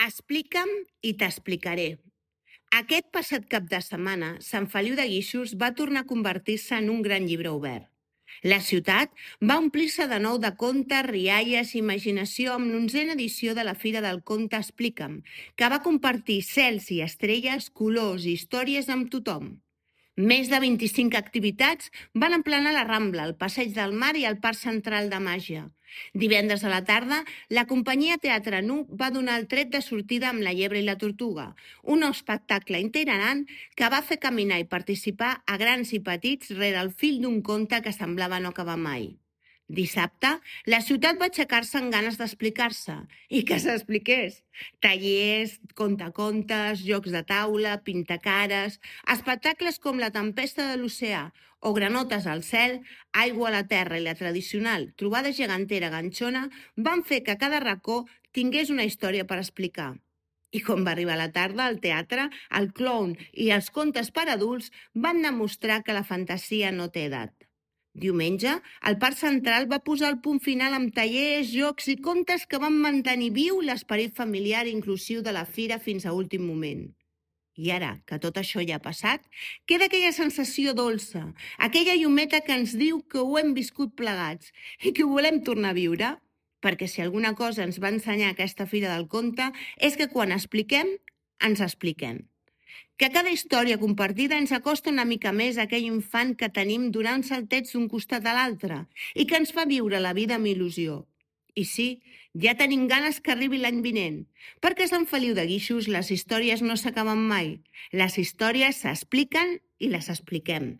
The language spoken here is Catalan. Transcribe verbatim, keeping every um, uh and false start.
Explica'm i t'explicaré. Aquest passat cap de setmana, Sant Feliu de Guíxols va tornar a convertir-se en un gran llibre obert. La ciutat va omplir-se de nou de contes, rialles i imaginació amb l'onzena edició de la Fira del Conte Explica'm, que va compartir cels i estrelles, colors i històries amb tothom. Més de vint-i-cinc activitats van emplenar la Rambla, el Passeig del Mar i el Parc Central de Màgia. Divendres a la tarda, la companyia Teatre Nu va donar el tret de sortida amb La llebre i la tortuga, un espectacle itinerant que va fer caminar i participar a grans i petits rere el fil d'un conte que semblava no acabar mai. Dissabte, la ciutat va aixecar-se amb ganes d'explicar-se i que s'expliqués. Tallers, contacontes, jocs de taula, pintacares, espectacles com La tempesta de l'oceà o Granotes al cel, Aigua a la terra i la tradicional trobada gegantera ganxona van fer que cada racó tingués una història per explicar. I quan va arribar la tarda, al teatre, el clown i els contes per adults van demostrar que la fantasia no té edat. Diumenge, el Parc Central va posar el punt final amb tallers, jocs i contes que van mantenir viu l'esperit familiar i inclusiu de la fira fins a últim moment. I ara, que tot això ja ha passat, queda aquella sensació dolça, aquella llumeta que ens diu que ho hem viscut plegats i que ho volem tornar a viure. Perquè si alguna cosa ens va ensenyar aquesta Fira del Conte és que quan expliquem, ens expliquem. Que cada història compartida ens acosta una mica més a aquell infant que tenim donant saltets d'un costat a l'altre i que ens fa viure la vida amb il·lusió. I sí, ja tenim ganes que arribi l'any vinent, perquè a Sant Feliu de Guíxols les històries no s'acaben mai. Les històries s'expliquen i les expliquem.